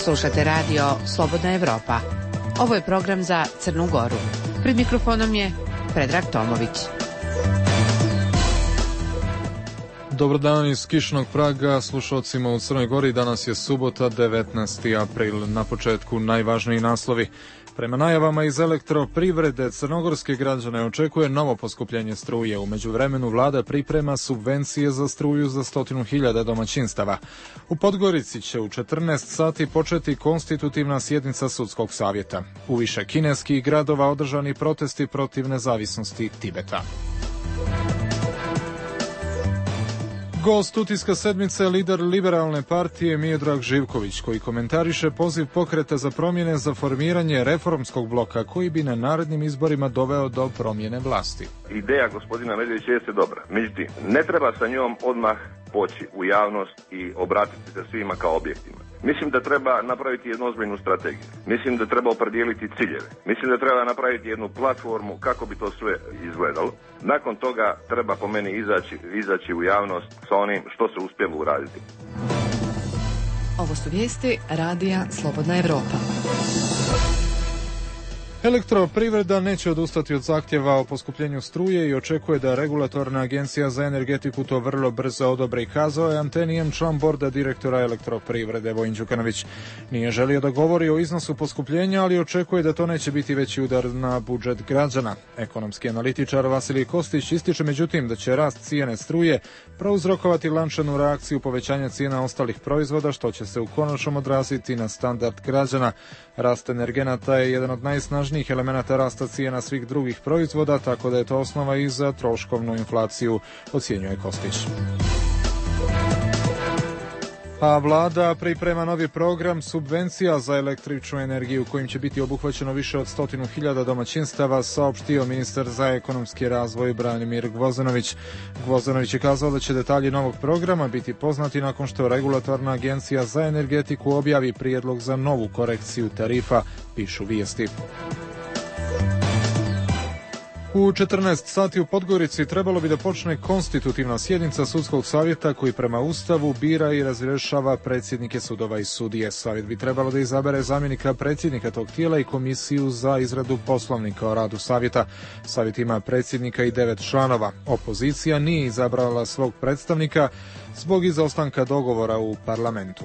Slušate radio Slobodna Evropa. Ovo je program za Crnu Goru. Pred mikrofonom je Predrag Tomović. Dobar dan iz kišnog Praga slušalcima u Crnoj Gori. Danas je subota, 19. april. Na početku najvažniji naslovi. Prema najavama iz elektroprivrede, crnogorske građane očekuje novo poskupljenje struje. U međuvremenu vlada priprema subvencije za struju za 100.000 domaćinstava. U Podgorici će u 14 sati početi konstitutivna sjednica sudskog savjeta. U više kineskih gradova održani protesti protiv nezavisnosti Tibeta. Gost utiska sedmice je lider liberalne partije Miodrag Živković, koji komentariše poziv pokreta za promjene za formiranje reformskog bloka koji bi na narednim izborima doveo do promjene vlasti. Ideja gospodina Medvedića jeste dobra, međutim, ne treba sa njom odmah poći u javnost i obratiti se svima kao objektima. Mislim da treba napraviti jednu ozbiljnu strategiju. Mislim da treba opredijeliti ciljeve. Mislim da treba napraviti jednu platformu kako bi to sve izgledalo. Nakon toga treba po meni izaći u javnost sa onim što se uspjelo uraditi. Ovo su vijesti Radija Slobodna Evropa. Elektroprivreda neće odustati od zahtjeva o poskupljenju struje i očekuje da regulatorna agencija za energetiku to vrlo brzo odobri, kazao je Antenijem član borda direktora elektroprivrede Vojin Đukanović. Nije želio da govori o iznosu poskupljenja, ali očekuje da to neće biti veći udar na budžet građana. Ekonomski analitičar Vasilij Kostić ističe međutim da će rast cijene struje prouzrokovati lančanu reakciju povećanja cijena ostalih proizvoda, što će se u konačnom odraziti na standard građana. Rast energenata je jedan od najsnažnijih elemenata rasta cijena svih drugih proizvoda, tako da je to osnova i za troškovnu inflaciju, ocjenjuje Kostić. A vlada priprema novi program subvencija za električnu energiju kojim će biti obuhvaćeno više od 100.000 domaćinstava, saopštio ministar za ekonomski razvoj Branimir Gvozdenović. Gvozdenović je kazao da će detalji novog programa biti poznati nakon što regulatorna agencija za energetiku objavi prijedlog za novu korekciju tarifa, pišu vijesti. U 14 sati u Podgorici trebalo bi da počne konstitutivna sjednica sudskog savjeta koji prema Ustavu bira i razrješava predsjednike sudova i sudije. Savjet bi trebalo da izabere zamjenika predsjednika tog tijela i komisiju za izradu poslovnika o radu savjeta. Savjet ima predsjednika i 9 članova. Opozicija nije izabrala svog predstavnika zbog izostanka dogovora u parlamentu.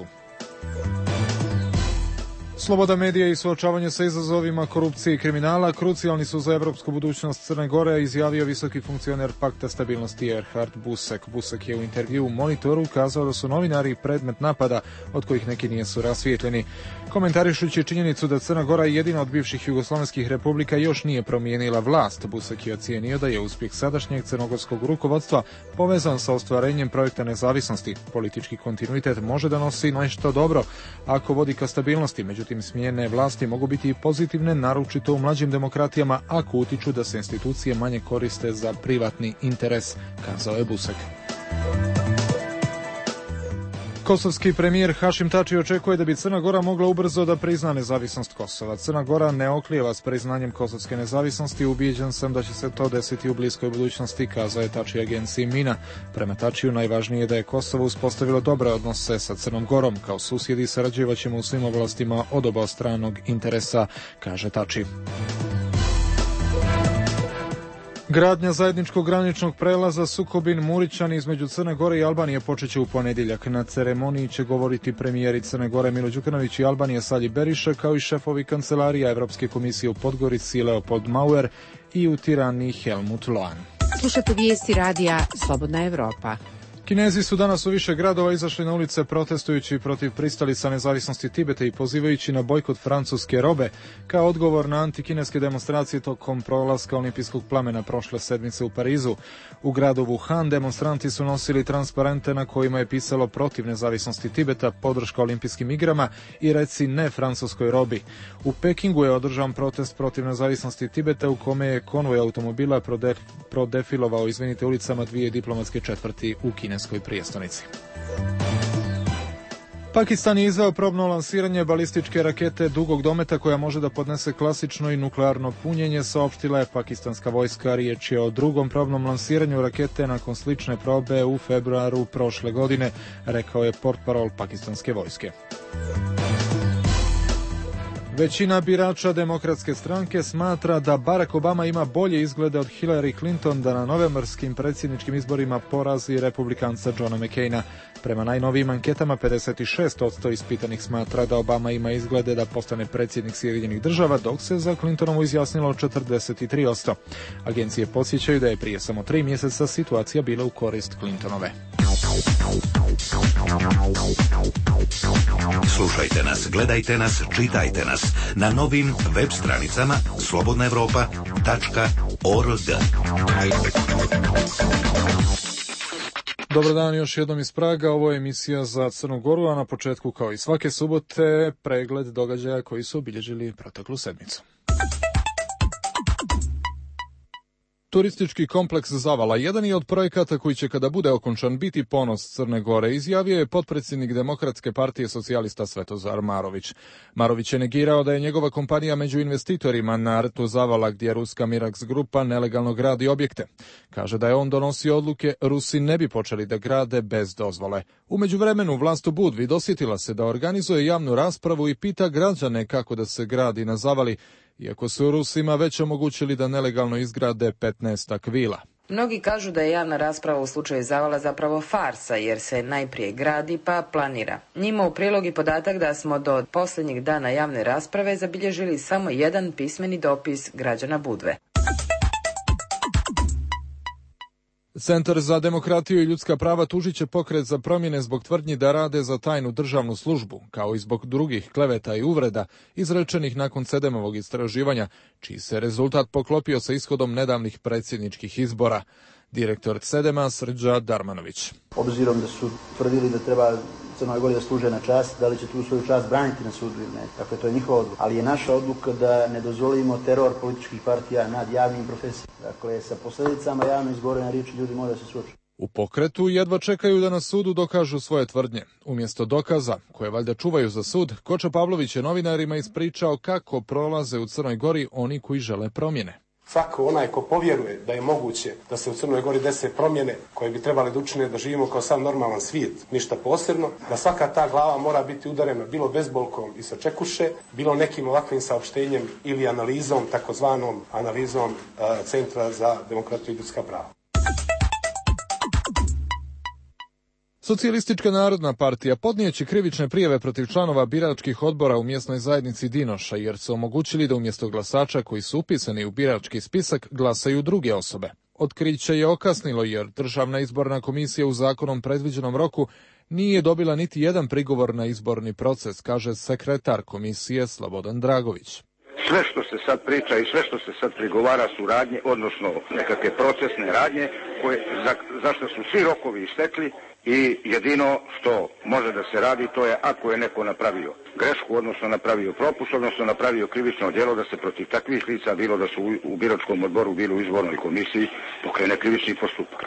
Sloboda medija i suočavanje sa izazovima korupcije i kriminala krucijalni su za evropsku budućnost Crne Gore, izjavio visoki funkcioner Pakta stabilnosti Erhard Busek. Busek je u intervju u Monitoru kazao da su novinari predmet napada, od kojih neki nisu rasvijetljeni. Komentarišući činjenicu da Crna Gora jedina od bivših jugoslovenskih republika još nije promijenila vlast, Busek je ocijenio da je uspjeh sadašnjeg crnogorskog rukovodstva povezan sa ostvarenjem projekta nezavisnosti. Politički kontinuitet može da nosi nešto dobro ako vodi ka stabilnosti, međutim smjene vlasti mogu biti i pozitivne, naročito u mlađim demokratijama, ako utiču da se institucije manje koriste za privatni interes, kazao je Busek. Kosovski premijer Hašim Tači očekuje da bi Crna Gora mogla ubrzo da prizna nezavisnost Kosova. Crna Gora ne oklijeva s priznanjem kosovske nezavisnosti, ubijeđen sam da će se to desiti u bliskoj budućnosti, kazao je Tači agenciji Mina. Prema Tačiju najvažnije je da je Kosovo uspostavilo dobre odnose sa Crnom Gorom. Kao susjedi sarađivaćemo u svim oblastima od obostranog interesa, kaže Tači. Gradnja zajedničkog graničnog prelaza Sukobin-Murićan između Crne Gore i Albanije počeće u ponedjeljak. Na ceremoniji će govoriti premijeri Crne Gore Milo Đukanović i Albanije Salji Beriša, kao i šefovi kancelarija Evropske komisije u Podgorici Leopold Mauer i u Tirani Helmut Loan. Slušate vijesti Radija Slobodna Evropa. Kinezi su danas u više gradova izašli na ulice protestujući protiv pristalica nezavisnosti Tibeta i pozivajući na bojkot francuske robe kao odgovor na antikineske demonstracije tokom prolaska olimpijskog plamena prošle sedmice u Parizu. U gradu Wuhan demonstranti su nosili transparente na kojima je pisalo protiv nezavisnosti Tibeta, podrška olimpijskim igrama i reci ne francuskoj robi. U Pekingu je održan protest protiv nezavisnosti Tibeta u kome je konvoj automobila prodefilovao ulicama dvije diplomatske četvrti u kineskoj prijestolnici. Pakistan je izveo probno lansiranje balističke rakete dugog dometa koja može da podnese klasično i nuklearno punjenje, saopštila je pakistanska vojska. Riječ je o drugom probnom lansiranju rakete nakon slične probe u februaru prošle godine, rekao je portparol pakistanske vojske. Većina birača Demokratske stranke smatra da Barack Obama ima bolje izglede od Hillary Clinton da na novembarskim predsjedničkim izborima porazi republikanca Johna McCaina. Prema najnovijim anketama 56% ispitanih smatra da Obama ima izglede da postane predsjednik Sjedinjenih država, dok se za Clintonovu izjasnilo 43%. Agencije podsjećaju da je prije samo 3 mjeseca situacija bila u korist Clintonove. Slušajte nas, gledajte nas, čitajte nas na novim web stranicama slobodnaevropa.org. Dobar dan još jednom iz Praga, ovo je emisija za Crnu Goru, a na početku kao i svake subote pregled događaja koji su obilježili proteklu sedmicu. Turistički kompleks Zavala jedan je od projekata koji će kada bude okončan biti ponos Crne Gore, izjavio je potpredsjednik Demokratske partije socijalista Svetozar Marović. Marović je negirao da je njegova kompanija među investitorima na rtu Zavala gdje ruska Mirax grupa nelegalno gradi objekte. Kaže da je on donosio odluke, Rusi ne bi počeli da grade bez dozvole. U međuvremenu vlast u Budvi dosjetila se da organizuje javnu raspravu i pita građane kako da se gradi na Zavali, iako su Rusima već omogućili da nelegalno izgrade 15 vila. Mnogi kažu da je javna rasprava u slučaju Zavala zapravo farsa, jer se najprije gradi pa planira. Njima u prilog i podatak da smo do posljednjeg dana javne rasprave zabilježili samo jedan pismeni dopis građana Budve. Centar za demokratiju i ljudska prava tužit će pokret za promjene zbog tvrdnji da rade za tajnu državnu službu, kao i zbog drugih kleveta i uvreda izrečenih nakon Sedemovog istraživanja, čiji se rezultat poklopio sa ishodom nedavnih predsjedničkih izbora. Direktor Sedema Srđa Darmanović. Obzirom da su tvrdili da treba Crnoj Gori da služe na čast, da li će tu svoju čast braniti na sudu ili ne. Dakle, to je njihova odluka. Ali je naša odluka da ne dozvolimo teror političkih partija nad javnim profesijama. Dakle, sa posljedicama javno izgovorene riječi ljudi moraju se suočiti. U pokretu jedva čekaju da na sudu dokažu svoje tvrdnje. Umjesto dokaza, koje valjda čuvaju za sud, Koča Pavlović je novinarima ispričao kako prolaze u Crnoj Gori oni koji žele promjene. Svako onaj ko povjeruje da je moguće da se u Crnoj Gori dese promjene koje bi trebali da učine da živimo kao sam normalan svijet, ništa posebno, da svaka ta glava mora biti udarena bilo bezbolkom i sa čekuše, bilo nekim ovakvim saopštenjem ili analizom, takozvanom analizom Centra za demokratiju i ljudska prava. Socijalistička narodna partija podnijeće krivične prijave protiv članova biračkih odbora u mjesnoj zajednici Dinoša, jer su omogućili da umjesto glasača koji su upisani u birački spisak glasaju druge osobe. Otkriće je okasnilo jer Državna izborna komisija u zakonom predviđenom roku nije dobila niti jedan prigovor na izborni proces, kaže sekretar komisije Slobodan Dragović. Sve što se sad priča i sve što se sad prigovara su radnje, odnosno nekakve procesne radnje za što su svi rokovi istekli i jedino što može da se radi to je ako je neko napravio grešku, odnosno napravio propust, odnosno napravio krivično djelo, da se protiv takvih lica, bilo da su u biračkom odboru, bilo u izbornoj komisiji, pokrene krivični postupak.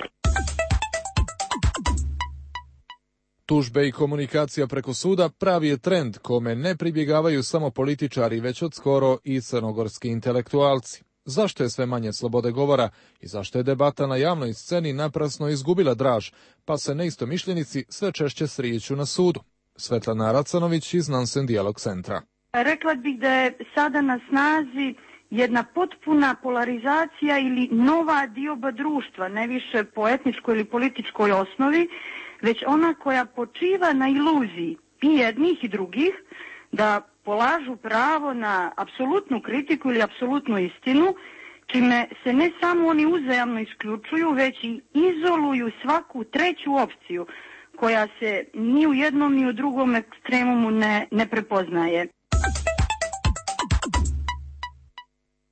Tužbe i komunikacija preko suda pravi je trend kome ne pribjegavaju samo političari, već od skoro i crnogorski intelektualci. Zašto je sve manje slobode govora i zašto je debata na javnoj sceni naprasno izgubila draž, pa se neistomišljenici sve češće srijeću na sudu? Svetlana Racanović iz Nansen Dijalog centra. Rekla bih da je sada na snazi jedna potpuna polarizacija ili nova dioba društva, ne više po etničkoj ili političkoj osnovi, već ona koja počiva na iluziji i jednih i drugih da polažu pravo na apsolutnu kritiku ili apsolutnu istinu, čime se ne samo oni uzajamno isključuju, već i izoluju svaku treću opciju koja se ni u jednom ni u drugom ekstremumu ne prepoznaje.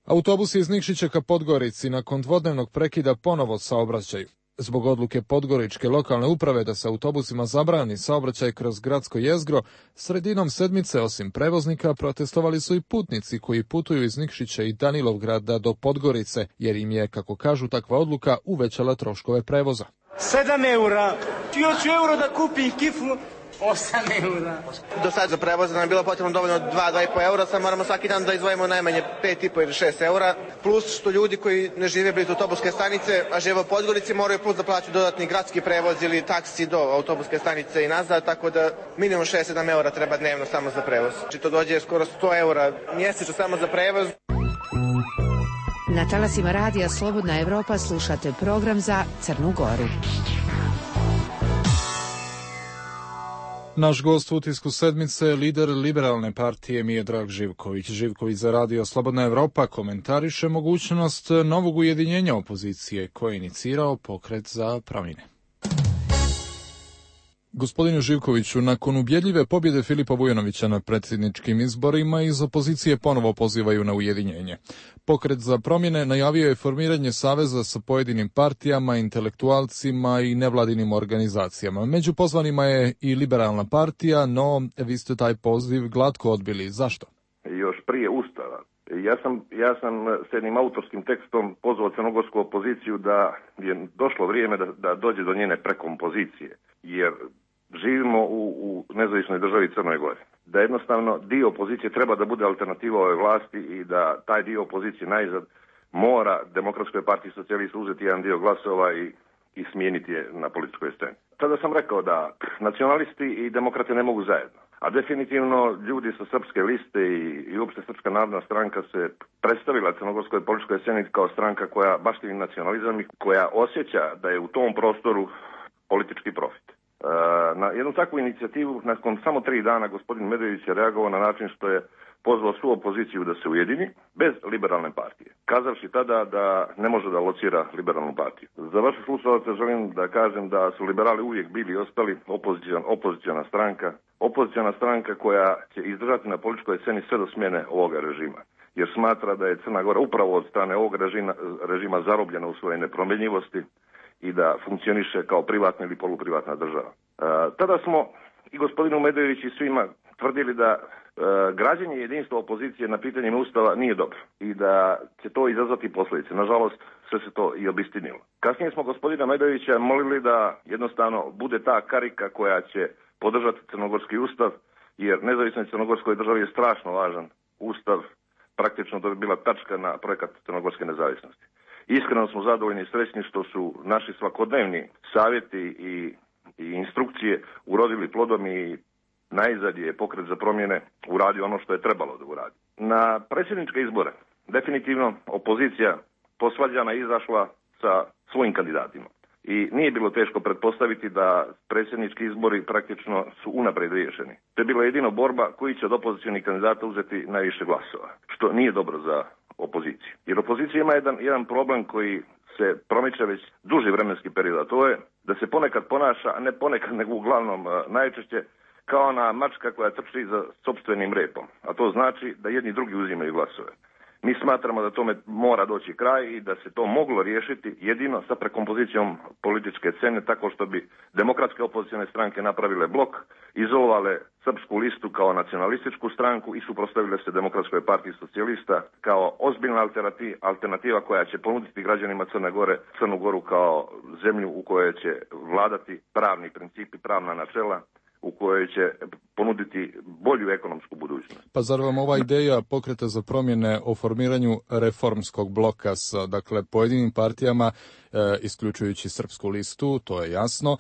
Autobusi iz Nikšića ka Podgorici nakon dvodnevnog prekida ponovo saobraćaju. Zbog odluke podgoričke lokalne uprave da se autobusima zabrani saobraćaj kroz gradsko jezgro, sredinom sedmice osim prevoznika protestovali su i putnici koji putuju iz Nikšića i Danilovgrada do Podgorice, jer im je, kako kažu, takva odluka uvećala troškove prevoza. 7 eura. Još euro da kupim kiflu 8 eura. Do sad za prevoz nam je bilo potrebno dovoljno 2,5 eura, sad moramo svaki dan da izdvojimo najmanje 5,5 ili 6 eura, plus što ljudi koji ne žive blizu autobuske stanice, a žive u Podgorici, moraju plus da plaćaju dodatni gradski prevoz ili taksi do autobuske stanice i nazad, tako da minimum 6-7 eura treba dnevno samo za prevoz. Znači to dođe skoro 100 eura mjesečno samo za prevoz. Na talasima radija Slobodna Evropa slušate program za Crnu Goru. Naš gost u utisku sedmice je lider liberalne partije Miodrag Živković. Živković za radio Slobodna Evropa komentariše mogućnost novog ujedinjenja opozicije koje je inicirao Pokret za promjene. Gospodine Živkoviću, nakon ubjedljive pobjede Filipa Vujanovića na predsjedničkim izborima, iz opozicije ponovo pozivaju na ujedinjenje. Pokret za promjene najavio je formiranje saveza sa pojedinim partijama, intelektualcima i nevladinim organizacijama. Među pozvanima je i liberalna partija, no vi ste taj poziv glatko odbili. Zašto? Još prije Ustava. Ja sam s jednim autorskim tekstom pozvao crnogorsku opoziciju da je došlo vrijeme da dođe do njene prekompozicije, jer živimo u nezavisnoj državi Crnoj Gori. Da jednostavno dio opozicije treba da bude alternativa ove vlasti i da taj dio opozicije najzad mora Demokratskoj partiji socijalista uzeti jedan dio glasova i smijeniti je na političkoj sceni. Tada sam rekao da nacionalisti i demokrate ne mogu zajedno. A definitivno ljudi sa srpske liste i uopšte Srpska narodna stranka se predstavila crnogorskoj političkoj sceni kao stranka koja baštini nacionalizam i koja osjeća da je u tom prostoru politički profit. Na jednu takvu inicijativu nakon samo 3 dana gospodin Medvedević je reagovao na način što je pozvao svu opoziciju da se ujedini bez liberalne partije, kazavši tada da ne može da locira liberalnu partiju. Za vaše slušalce želim da kažem da su liberali uvijek bili i ostali opoziciona stranka koja će izdržati na političkoj sceni sve do smjene ovoga režima, jer smatra da je Crna Gora upravo od strane ovog režima zarobljena u svojoj nepromjenjivosti i da funkcioniše kao privatna ili poluprivatna država. Tada smo i gospodinu Medvedeviću i svima tvrdili da građenje jedinstva opozicije na pitanjima Ustava nije dobro i da će to izazvati posljedice. Nažalost, sve se to i obistinilo. Kasnije smo gospodina Medvedevića molili da jednostavno bude ta karika koja će podržati crnogorski ustav, jer nezavisnoj crnogorskoj državi je strašno važan ustav, praktično to bi bila tačka na projekat crnogorske nezavisnosti. Iskreno smo zadovoljni i srećni što su naši svakodnevni savjeti i instrukcije urodili plodom i najzad je Pokret za promjene uradio ono što je trebalo da uradi. Na predsjedničke izbore definitivno opozicija posvađana izašla sa svojim kandidatima. I nije bilo teško pretpostaviti da predsjednički izbori praktično su unaprijed riješeni. To je bila jedino borba koji će od opozicionih kandidata uzeti najviše glasova, što nije dobro za opoziciju. Jer opozicija ima jedan problem koji se promiče već duži vremenski period, a to je da se ponekad ponaša, a ne ponekad nego uglavnom najčešće, kao ona mačka koja trči za sopstvenim repom. A to znači da jedni drugi uzimaju glasove. Mi smatramo da tome mora doći kraj i da se to moglo riješiti jedino sa prekompozicijom političke scene, tako što bi demokratske opozicione stranke napravile blok, izolovale srpsku listu kao nacionalističku stranku i suprotstavile se Demokratskoj partiji socijalista kao ozbiljna alternativa koja će ponuditi građanima Crne Gore Crnu Goru kao zemlju u kojoj će vladati pravni principi, pravna načela, u kojoj će ponuditi bolju ekonomsku budućnost. Pa zar vam ova ideja Pokreta za promjene o formiranju reformskog bloka sa pojedinim partijama, isključujući Srpsku listu, to je jasno,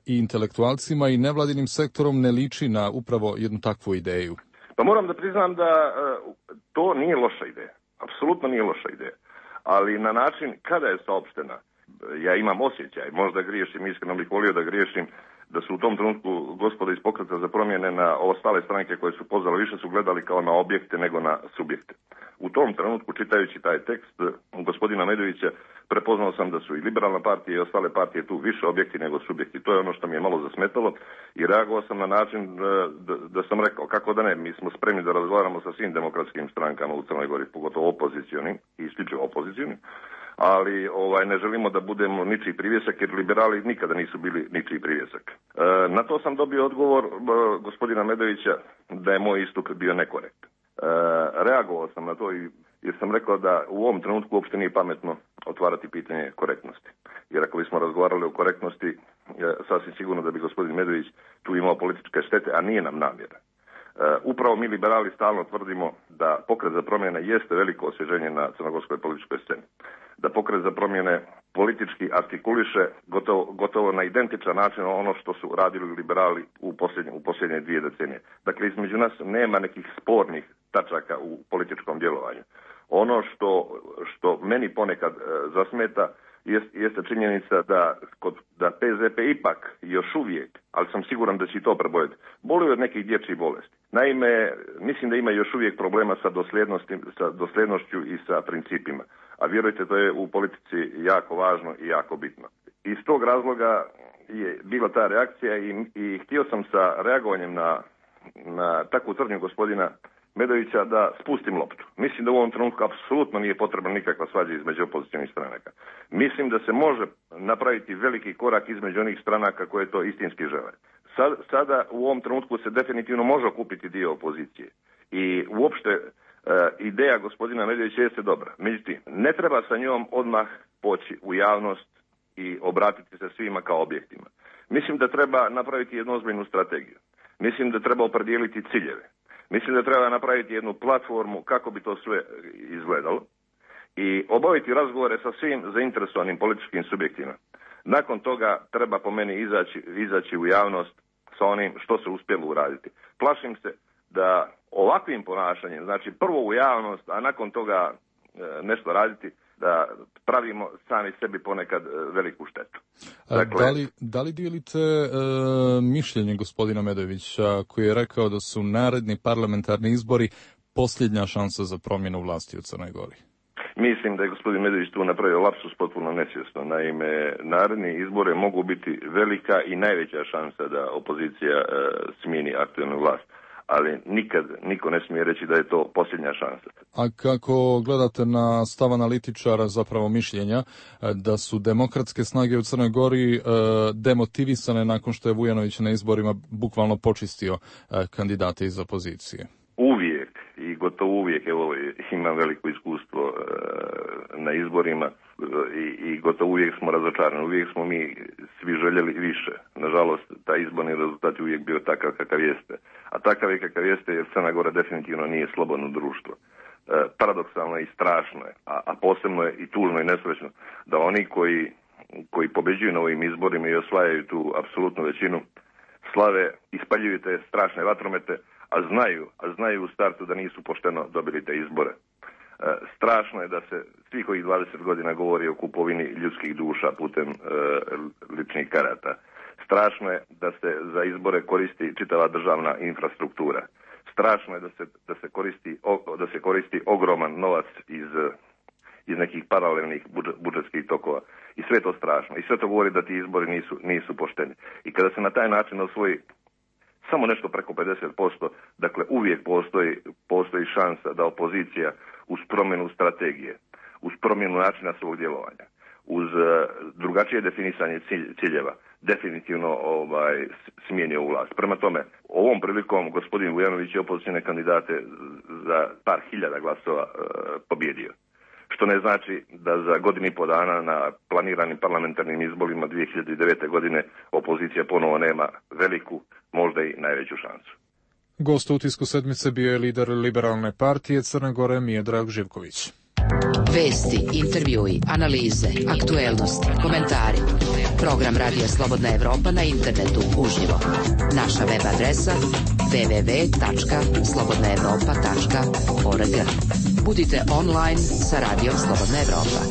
i intelektualcima i nevladinim sektorom ne liči na upravo jednu takvu ideju? Pa moram da priznam da to nije loša ideja. Apsolutno nije loša ideja. Ali na način kada je saopštena, ja imam osjećaj, možda griješim, iskreno bih volio da griješim, da su u tom trenutku gospoda iz Pokreta za promjene na ostale stranke koje su pozvali više su gledali kao na objekte nego na subjekte. U tom trenutku, čitajući taj tekst gospodina Medvedevića, prepoznao sam da su i liberalna partija i ostale partije tu više objekti nego subjekti. To je ono što mi je malo zasmetalo i reagovao sam na način da sam rekao kako da ne, mi smo spremni da razgovaramo sa svim demokratskim strankama u Crnoj Gori, pogotovo opozicionim i isključivo opozicionim, ali ne želimo da budemo ničiji privjesak, jer liberali nikada nisu bili ničiji privjesak. Na to sam dobio odgovor gospodina Medvedevića da je moj istup bio nekorektan. Reagovao sam na to jer sam rekao da u ovom trenutku uopšte nije pametno otvarati pitanje korektnosti. Jer ako bismo razgovarali o korektnosti, sasvim sigurno da bi gospodin Medović tu imao političke štete, a nije nam namjera. Upravo mi liberali stalno tvrdimo da Pokret za promjene jeste veliko osvježenje na crnogorskoj političkoj sceni. Da Pokret za promjene politički artikuliše gotovo na identičan način ono što su radili liberali u posljednje 2 decenije. Dakle, između nas nema nekih spornih tačaka u političkom djelovanju. Ono što meni ponekad zasmeta jeste činjenica da PZP ipak još uvijek, ali sam siguran da će i to preboljeti, boluje od nekih dječjih bolesti. Naime, mislim da ima još uvijek problema sa dosljednošću i sa principima. A vjerujte, to je u politici jako važno i jako bitno. Iz tog razloga je bila ta reakcija i htio sam sa reagovanjem na takvu tvrdnju gospodina Medovića da spustim loptu. Mislim da u ovom trenutku apsolutno nije potrebna nikakva svađa između opozicionih stranaka. Mislim da se može napraviti veliki korak između onih stranaka koje to istinski žele. Sada u ovom trenutku se definitivno može okupiti dio opozicije. I uopšte ideja gospodina Medovića jeste dobra. Međutim, ne treba sa njom odmah poći u javnost i obratiti se svima kao objektima. Mislim da treba napraviti jednu ozbiljnu strategiju. Mislim da treba opredijeliti ciljeve. Mislim da treba napraviti jednu platformu kako bi to sve izgledalo i obaviti razgovore sa svim zainteresovanim političkim subjektima. Nakon toga treba po meni izaći u javnost sa onim što se uspjelo uraditi. Plašim se da ovakvim ponašanjem, znači prvo u javnost, a nakon toga nešto raditi, da pravimo sami sebi ponekad veliku štetu. Dakle, da li dijelite mišljenje gospodina Medovića koji je rekao da su naredni parlamentarni izbori posljednja šansa za promjenu vlasti u Crnoj Gori? Mislim da je gospodin Medović tu napravio lapsus potpuno nesvjesno. Naime, naredni izbori mogu biti velika i najveća šansa da opozicija smijeni aktualnu vlast. Ali nikad niko ne smije reći da je to posljednja šansa. A kako gledate na stav analitičara, zapravo mišljenja, da su demokratske snage u Crnoj Gori demotivisane nakon što je Vujanović na izborima bukvalno počistio kandidate iz opozicije? Uvijek i gotovo uvijek, evo, imam veliko iskustvo na izborima i gotovo uvijek smo razočarani, uvijek smo mi svi željeli više. Nažalost, taj izborni rezultat je uvijek bio takav kakav jeste. A takav je kakav jeste jer Crna Gora definitivno nije slobodno društvo. Paradoksalno je i strašno je, a posebno je i tužno i nesrećno da oni koji pobeđuju na ovim izborima i osvajaju tu apsolutnu većinu, slave, ispaljuju te strašne vatromete, a znaju u startu da nisu pošteno dobili te izbore. Strašno je da se svih ovih 20 godina govori o kupovini ljudskih duša putem ličnih karata. Strašno je da se za izbore koristi čitava državna infrastruktura. Strašno je da se koristi ogroman novac iz nekih paralelnih budžetskih tokova. I sve to strašno. I sve to govori da ti izbori nisu pošteni. I kada se na taj način osvoji samo nešto preko 50%, dakle uvijek postoji šansa da opozicija uz promjenu strategije, uz promjenu načina svog djelovanja, uz drugačije definisanje ciljeva, definitivno smijeni ovu vlast. Prema tome, ovom prilikom gospodin Vujanović je opozicione kandidate za par hiljada glasova pobjedio. Što ne znači da za godinu i po dana na planiranim parlamentarnim izborima 2009. godine opozicija ponovo nema veliku, možda i najveću šansu. Gost u Utisku sedmice bio je lider Liberalne partije Crne Gore Miodrag Živković. Vesti, intervjui, analize, aktuelnosti, komentari. Program Radija Slobodna Evropa na internetu uživo. Naša web adresa www.slobodnaevropa.org. Budite online sa Radijom Slobodna Evropa.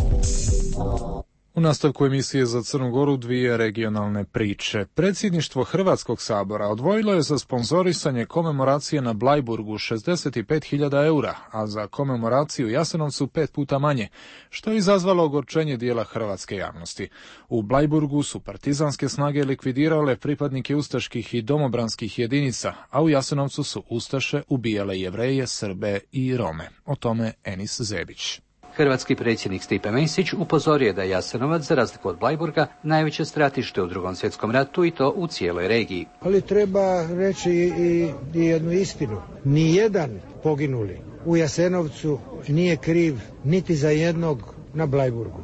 U nastavku emisije za Crnu Goru 2 regionalne priče. Predsjedništvo Hrvatskog sabora odvojilo je za sponzorisanje komemoracije na Blajburgu 65.000 eura, a za komemoraciju Jasenovcu 5 puta manje, što je izazvalo ogorčenje dijela hrvatske javnosti. U Blajburgu su partizanske snage likvidirale pripadnike ustaških i domobranskih jedinica, a u Jasenovcu su ustaše ubijale Jevreje, Srbe i Rome. O tome Enis Zebić. Hrvatski predsjednik Stipe Mesić upozorio je da je Jasenovac, za razliku od Blajburga, najveće stratište u Drugom svjetskom ratu i to u cijeloj regiji. Ali treba reći i jednu istinu. Nijedan poginuli u Jasenovcu nije kriv niti za jednog na Blajburgu.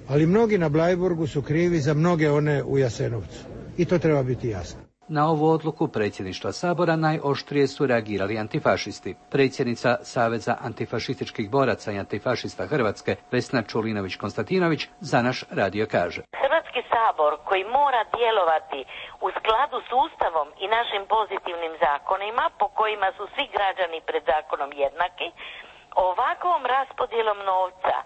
Ali mnogi na Blajburgu su krivi za mnoge one u Jasenovcu. i to treba biti jasno. Na ovu odluku predsjedništva Sabora najoštrije su reagirali antifašisti. Predsjednica Saveza antifašističkih boraca i antifašista Hrvatske, Vesna Čulinović-Konstantinović, za naš radio kaže. Hrvatski sabor koji mora djelovati u skladu s Ustavom i našim pozitivnim zakonima, po kojima su svi građani pred zakonom jednaki, ovakvom raspodjelom novca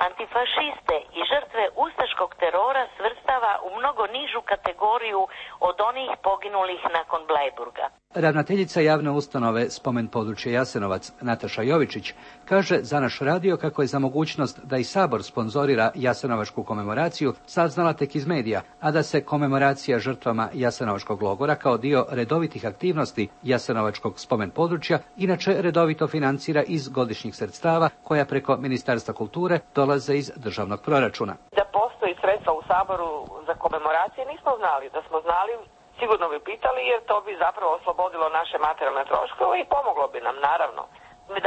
antifašiste i žrtve ustaškog terora svrstava u mnogo nižu kategoriju od onih poginulih nakon Bleiburga. Ravnateljica javne ustanove Spomen područje Jasenovac, Nataša Jovičić, kaže za naš radio kako je za mogućnost da i Sabor sponzorira jasenovačku komemoraciju saznala tek iz medija, a da se komemoracija žrtvama jasenovačkog logora kao dio redovitih aktivnosti jasenovačkog spomen područja inače redovito financira iz godišnjih sredstava koja preko Ministarstva kulture dolaze iz državnog proračuna. Da postoji sredstva u Saboru za komemoracije nismo znali. Da smo znali, sigurno bi pitali, jer to bi zapravo oslobodilo naše materijalne troškove i pomoglo bi nam, naravno.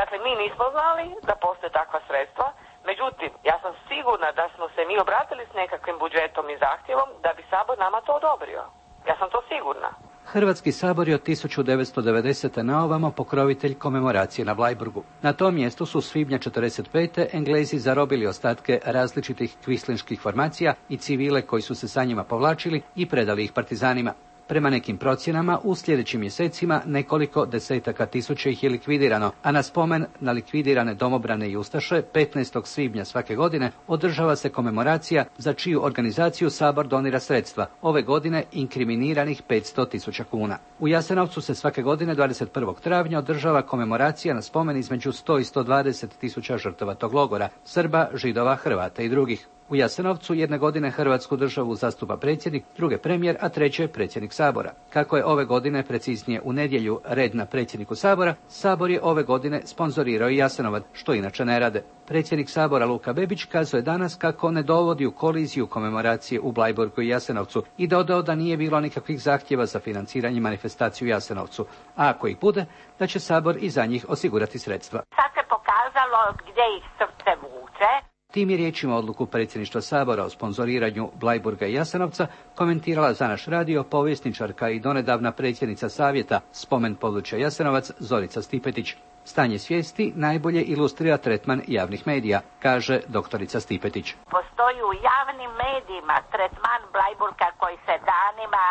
Dakle, mi nismo znali da postoje takva sredstva, međutim, ja sam sigurna da smo se mi obratili s nekakvim budžetom i zahtjevom da bi Sabor nama to odobrio. Ja sam to sigurna. Hrvatski sabor je od 1990. na ovamo pokrovitelj komemoracije na Bleiburgu. Na tom mjestu su svibnja 1945. Englezi zarobili ostatke različitih kvislinških formacija i civile koji su se sa njima povlačili i predali ih partizanima. Prema nekim procjenama, u sljedećim mjesecima nekoliko desetaka tisuća ih je likvidirano, a na spomen na likvidirane domobrane i ustaše 15. svibnja svake godine održava se komemoracija za čiju organizaciju Sabor donira sredstva, ove godine inkriminiranih 500.000 kuna. U Jasenovcu se svake godine 21. travnja održava komemoracija na spomen između 100 i 120.000 žrtava tog logora, Srba, Židova, Hrvata i drugih. U Jasenovcu jedne godine Hrvatsku državu zastupa predsjednik, druge premijer, a treće predsjednik Sabora. Kako je ove godine, preciznije u nedjelju, red na predsjedniku Sabora, Sabor je ove godine sponzorirao i Jasenovac, što inače ne rade. Predsjednik Sabora Luka Bebić kazuje danas kako ne dovodi u koliziju komemoracije u Bleiburgu i Jasenovcu i dodao da nije bilo nikakvih zahtjeva za financiranje manifestaciju u Jasenovcu, a ako ih bude, da će Sabor i za njih osigurati sredstva. Sad se pokazalo gdje ih srce vuče. Tim je riječima odluku predsjedništva Sabora o sponzoriranju Bleiburga i Jasenovca komentirala za naš radio povjesničarka i donedavna predsjednica savjeta Spomen područja Jasenovac Zorica Stipetić. Stanje svijesti najbolje ilustrira tretman javnih medija, kaže doktorica Stipetić. Postoji u javnim medijima tretman Bleiburga koji se danima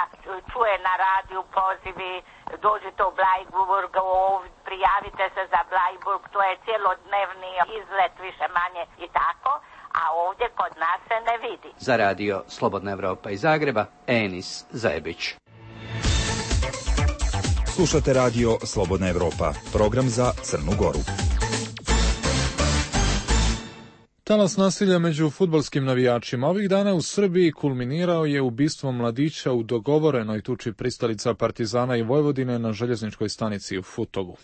čuje na radiju, pozivi, dođite u Bleiburg, prijavite se za Bleiburg, to je cjelodnevni izlet više manje i tako, a ovdje kod nas se ne vidi. Za radio Slobodna Evropa iz Zagreba, Enis Zajebić. Slušate radio Slobodna Evropa, program za Crnu Goru. Talas nasilja među fudbalskim navijačima ovih dana u Srbiji kulminirao je ubistvom mladića u dogovorenoj tuči pristalica Partizana i Vojvodine na željezničkoj stanici u Futogu.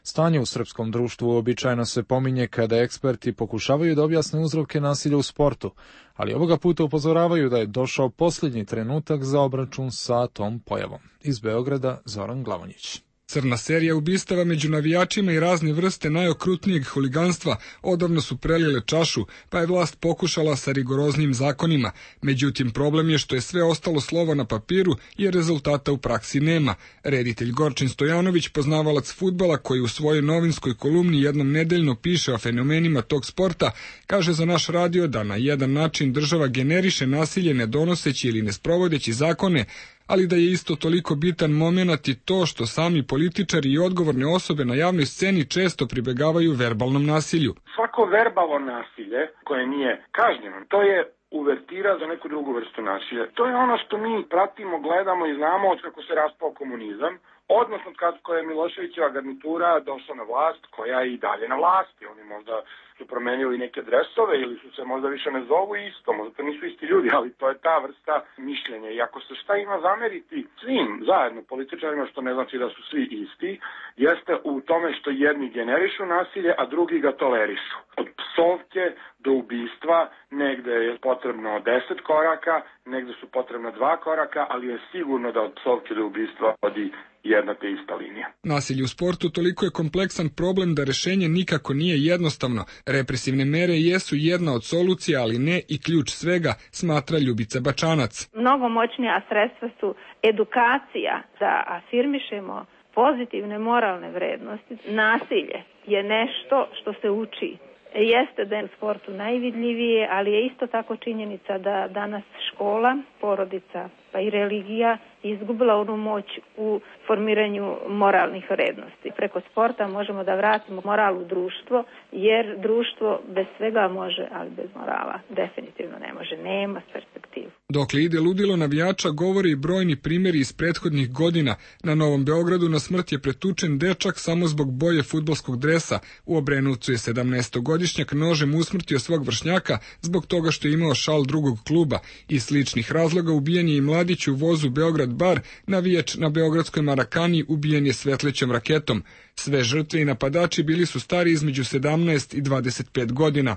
Stanje u srpskom društvu uobičajeno se pominje kada eksperti pokušavaju da objasne uzroke nasilja u sportu, ali ovoga puta upozoravaju da je došao posljednji trenutak za obračun sa tom pojavom. Iz Beograda Zoran Glavonjić. Crna serija ubistava među navijačima i razne vrste najokrutnijeg huliganstva odavno su prelile čašu, pa je vlast pokušala sa rigoroznim zakonima. Međutim, problem je što je sve ostalo slovo na papiru jer rezultata u praksi nema. Reditelj Gorčin Stojanović, poznavalac fudbala koji u svojoj novinskoj kolumni jednom nedeljno piše o fenomenima tog sporta, kaže za naš radio da na jedan način država generiše nasilje ne donoseći ili ne sprovodeći zakone, ali da je isto toliko bitan momenat i to što sami političari i odgovorne osobe na javnoj sceni često pribegavaju verbalnom nasilju. Svako verbalno nasilje koje nije kažnjeno, to je uvertira za neku drugu vrstu nasilja. To je ono što mi pratimo, gledamo i znamo od kako se raspao komunizam, odnosno kako je Miloševićeva garnitura došla na vlast, koja je i dalje na vlasti. Oni možda su promenili neke dresove ili su se možda više ne zovu isto, možda to nisu isti ljudi, ali to je ta vrsta mišljenja. I ako se šta ima zameriti svim zajedno političarima, što ne znači da su svi isti, jeste u tome što jedni generišu nasilje, a drugi ga tolerišu. Od psovke do ubistva ubistva, negde je potrebno 10 koraka, negde su potrebna 2 koraka, ali je sigurno da od psovke do ubistva vodi jedna te ista linija. Nasilje u sportu toliko je kompleksan problem da rešenje nikako nije jednostavno. Represivne mere jesu jedna od solucija, ali ne i ključ svega, smatra Ljubica Bačanac. Mnogo moćnija sredstva su edukacija, da afirmišemo pozitivne moralne vrednosti. Nasilje je nešto što se uči. Jeste da je u sportu najvidljivije, ali je isto tako činjenica da danas škola, porodica pa i religija izgubila onu moć u formiranju moralnih vrednosti. Preko sporta možemo da vratimo moral u društvo, jer društvo bez svega može, ali bez morala definitivno ne može, nema perspektivu. Dokle ide ludilo navijača, govori i brojni primjeri iz prethodnih godina. Na Novom Beogradu na smrt je pretučen dečak samo zbog boje fudbalskog dresa. U Obrenovcu je 17-godišnjak nožem usmrtio svog vršnjaka zbog toga što je imao šal drugog kluba. Iz sličnih razloga ubijen je i mladić u vozu Beograd Bar, navijač na beogradskoj Marakani ubijen je svetlećom raketom. Sve žrtve i napadači bili su stari između 17 i 25 godina.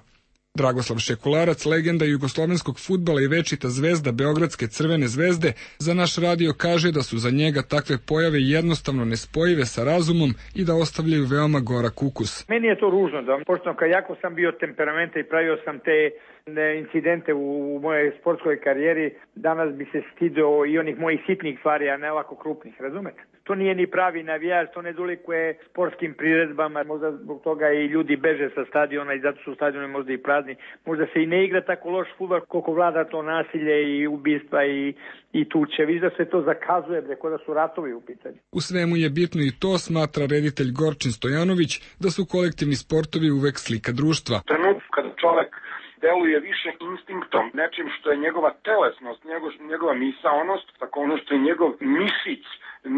Dragoslav Šekularac, legenda jugoslovenskog fudbala i večita zvezda Beogradske Crvene zvezde, za naš radio kaže da su za njega takve pojave jednostavno nespojive sa razumom i da ostavljaju veoma gorak ukus. Meni je to ružno, pošto jako sam bio temperamenta i pravio sam te incidente u mojoj sportskoj karijeri, danas bi se stidio i onih mojih sitnih stvari, a ne ovako krupnih, razumete? To nije ni pravi navijač, to ne dolikuje sportskim priredbama, možda zbog toga i ljudi beže sa stadiona i zato su stadioni možda i prazni. Možda se i ne igra tako loš fudbal koliko vlada to nasilje i ubistva i tuče. Viš da se to zakazuje, preko da su ratovi u pitanju. U svemu je bitno i to, smatra reditelj Gorčin Stojanović, da su kolektivni sportovi uvek slika društva. Trenutak kada čovek deluje više instinktom, nečim što je njegova telesnost, njegova misaonost, tako ono što je njegov mišić,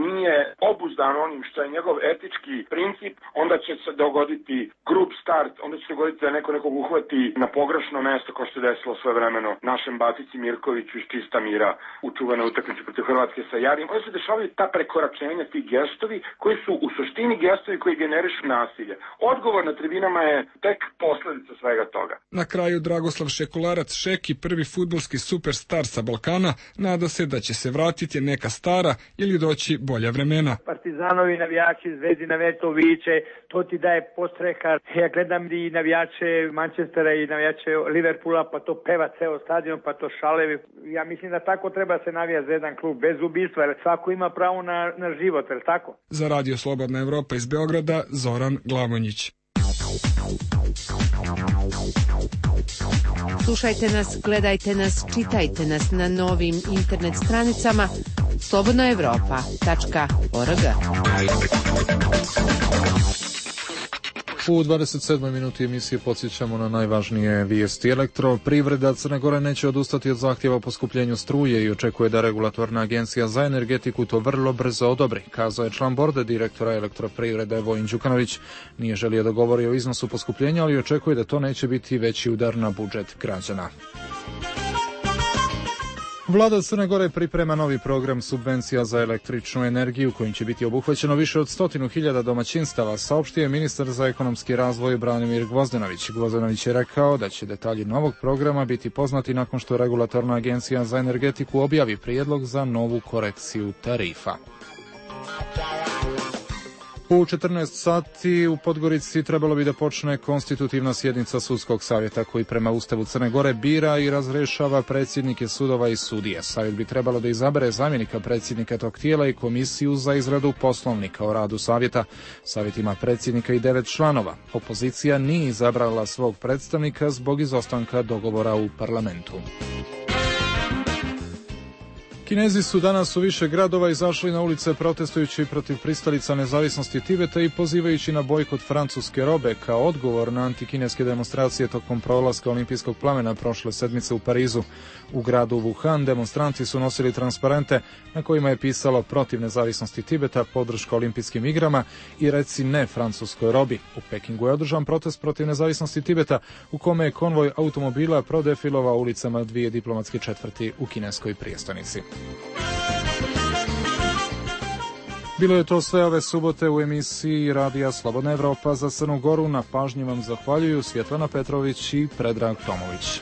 nije obuzdan onim što je njegov etički princip, onda će se dogoditi grub start, onda će se dogoditi da neko nekog uhvati na pogrešno mesto, kao što se desilo svojevremeno našem Batici Mirkoviću iz čista mira u čuvenoj utakmici protiv Hrvatske sa Jarim. Onda se dešavaju ta prekoračenja, ti gestovi koji su u suštini gestovi koji generišu nasilje. Odgovor na tribinama je tek posledica svega toga. Na kraju Dragoslav Šekularac Šeki, prvi fudbalski superstar sa Balkana, nada se da će se vratiti neka stara ili doći bolja vremena. Partizanovi navijači, Zvezdi navijači to viče, to ti daje postreha. Ja gledam i navijače Manchestera i navijače Liverpoola, pa to peva ceo stadion, pa to šalevi. Ja mislim da tako treba se navijati za jedan klub, bez ubistva, jer svako ima pravo na život, jer tako? Za Radio Slobodna Evropa iz Beograda, Zoran Glavonjić. Slušajte nas, gledajte nas, čitajte nas na novim internet stranicama slobodnaevropa.org. U 27. minuti emisije podsjećamo na najvažnije vijesti. Elektroprivreda Crne Gore neće odustati od zahtjeva o poskupljenju struje i očekuje da regulatorna agencija za energetiku to vrlo brzo odobri, kazao je član borda direktora Elektroprivrede Vojin Đukanović. Nije želio da govori o iznosu poskupljenja, ali očekuje da to neće biti veći udar na budžet građana. Vlada Crne Gore priprema novi program subvencija za električnu energiju kojim će biti obuhvaćeno više od 100.000 domaćinstava, saopštio je ministar za ekonomski razvoj Branimir Gvozdenović. Gvozdenović je rekao da će detalji novog programa biti poznati nakon što regulatorna agencija za energetiku objavi prijedlog za novu korekciju tarifa. U 14 sati u Podgorici trebalo bi da počne konstitutivna sjednica sudskog savjeta koji prema Ustavu Crne Gore bira i razrešava predsjednike sudova i sudije. Savjet bi trebalo da izabere zamjenika predsjednika tog tijela i komisiju za izradu poslovnika o radu savjeta. Savjet ima predsjednika i 9 članova. Opozicija nije izabrala svog predstavnika zbog izostanka dogovora u parlamentu. Kinezi su danas u više gradova izašli na ulice protestujući protiv pristalica nezavisnosti Tibeta i pozivajući na bojkot francuske robe kao odgovor na antikineske demonstracije tokom prolaska olimpijskog plamena prošle sedmice u Parizu. U gradu Wuhan demonstranti su nosili transparente na kojima je pisalo protiv nezavisnosti Tibeta, podrška olimpijskim igrama i reci ne francuskoj robi. U Pekingu je održan protest protiv nezavisnosti Tibeta u kome je konvoj automobila prodefilovao ulicama dvije diplomatske četvrti u kineskoj prijestolnici. Bilo je to sve ove subote u emisiji Radija Slobodna Evropa. Za Crnu Goru na pažnji vam zahvaljuju Svjetlana Petrović i Predrag Tomović.